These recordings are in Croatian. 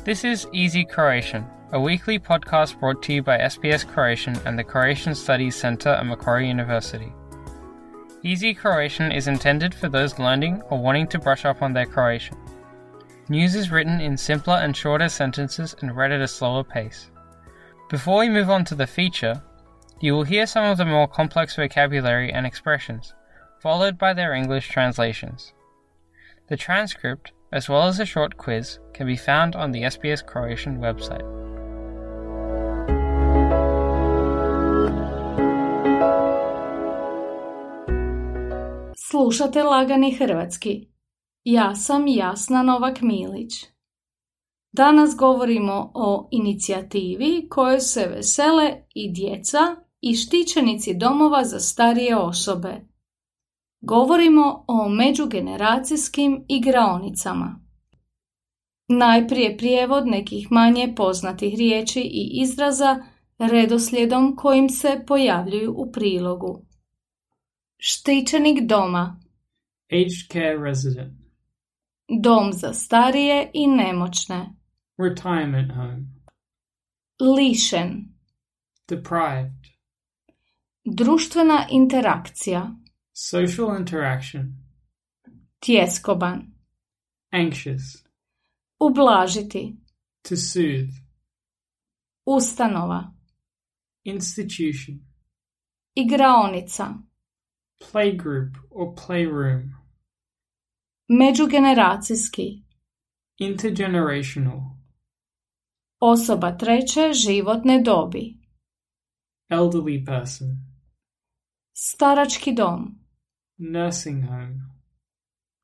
This is Easy Croatian, a weekly podcast brought to you by SBS Croatian and the Croatian Studies Centre at Macquarie University. Easy Croatian is intended for those learning or wanting to brush up on their Croatian. News is written in simpler and shorter sentences and read at a slower pace. Before we move on to the feature, you will hear some of the more complex vocabulary and expressions, followed by their English translations. The transcript, as well as a short quiz, can be found on the SBS Croatian website. Slušate Lagani hrvatski. Ja sam Jasna Novak-Milić. Danas govorimo o inicijativi kojoj se vesele i djeca i štićenici domova za starije osobe. Govorimo o međugeneracijskim igraonicama. Najprije prijevod nekih manje poznatih riječi i izraza redoslijedom kojim se pojavljuju u prilogu. Štićenik doma. Aged care resident. Dom za starije i nemoćne. Retirement home. Lišen. Deprived. Društvena interakcija. Social interaction. Tjeskoban. Anxious. Ublažiti. To soothe. Ustanova. Institution. Igraonica. Playgroup or playroom. Međugeneracijski. Intergenerational. Osoba treće životne dobi. Elderly person. Starački dom. Nursing home.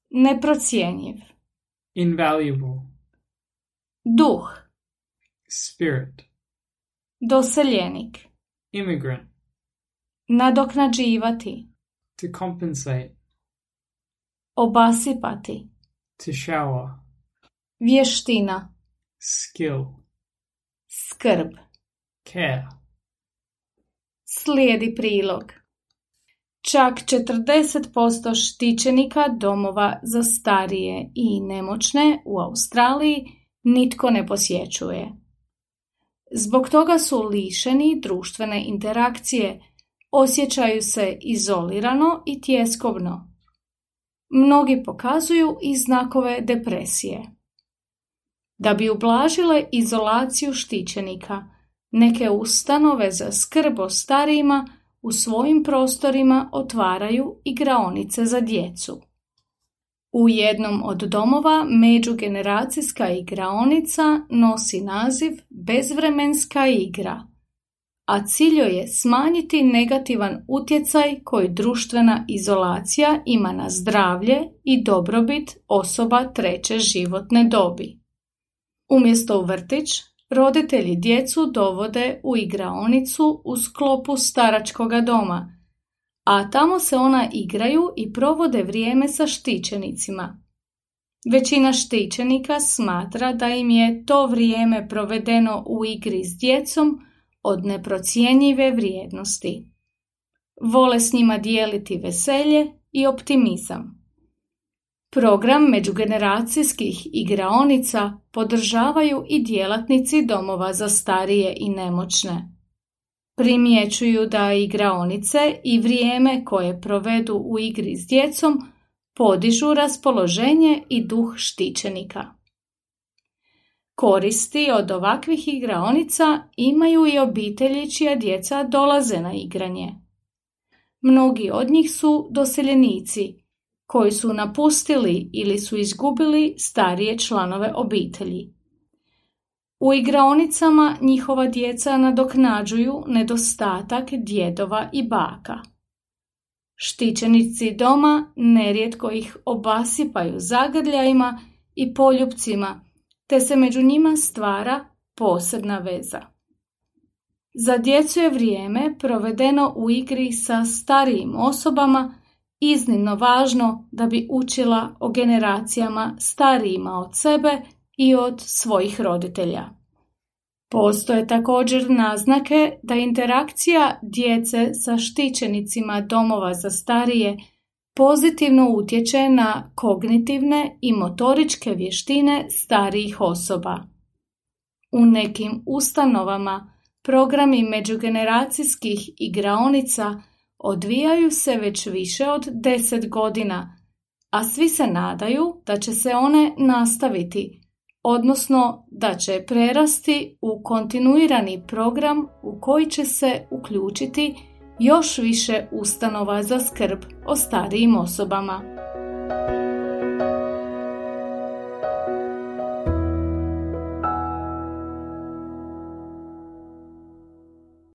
Neprocjenjiv. Invaluable. Duh. Spirit. Doseljenik. Immigrant. Nadoknađivati. To compensate. Obasipati. To shower. Vještina. Skill. Skrb. Care. Slijedi prilog. Čak 40% štićenika domova za starije i nemoćne u Australiji nitko ne posjećuje. Zbog toga su lišeni društvene interakcije, osjećaju se izolirano i tjeskobno. Mnogi pokazuju i znakove depresije. Da bi ublažile izolaciju štićenika, neke ustanove za skrb o starijima u svojim prostorima otvaraju igraonice za djecu. U jednom od domova međugeneracijska igraonica nosi naziv Bezvremenska igra, a cilj joj je smanjiti negativan utjecaj koji društvena izolacija ima na zdravlje i dobrobit osoba treće životne dobi. Umjesto u vrtić, roditelji djecu dovode u igraonicu u sklopu staračkoga doma, a tamo se ona igraju i provode vrijeme sa štićenicima. Većina štićenika smatra da im je to vrijeme provedeno u igri s djecom od neprocjenjive vrijednosti. Vole s njima dijeliti veselje i optimizam. Program međugeneracijskih igraonica podržavaju i djelatnici domova za starije i nemoćne. Primjećuju da igraonice i vrijeme koje provedu u igri s djecom podižu raspoloženje i duh štićenika. Koristi od ovakvih igraonica imaju i obitelji čija djeca dolaze na igranje. Mnogi od njih su doseljenici koji su napustili ili su izgubili starije članove obitelji. U igraonicama njihova djeca nadoknađuju nedostatak djedova i baka. Štićenici doma nerijetko ih obasipaju zagrljajima i poljupcima, te se među njima stvara posebna veza. Za djecu je vrijeme provedeno u igri sa starijim osobama iznimno važno da bi učila o generacijama starijima od sebe i od svojih roditelja. Postoje također naznake da interakcija djece sa štićenicima domova za starije pozitivno utječe na kognitivne i motoričke vještine starijih osoba. U nekim ustanovama programi međugeneracijskih igraonica odvijaju se već više od 10 godina, a svi se nadaju da će se one nastaviti, odnosno da će prerasti u kontinuirani program u koji će se uključiti još više ustanova za skrb o starijim osobama.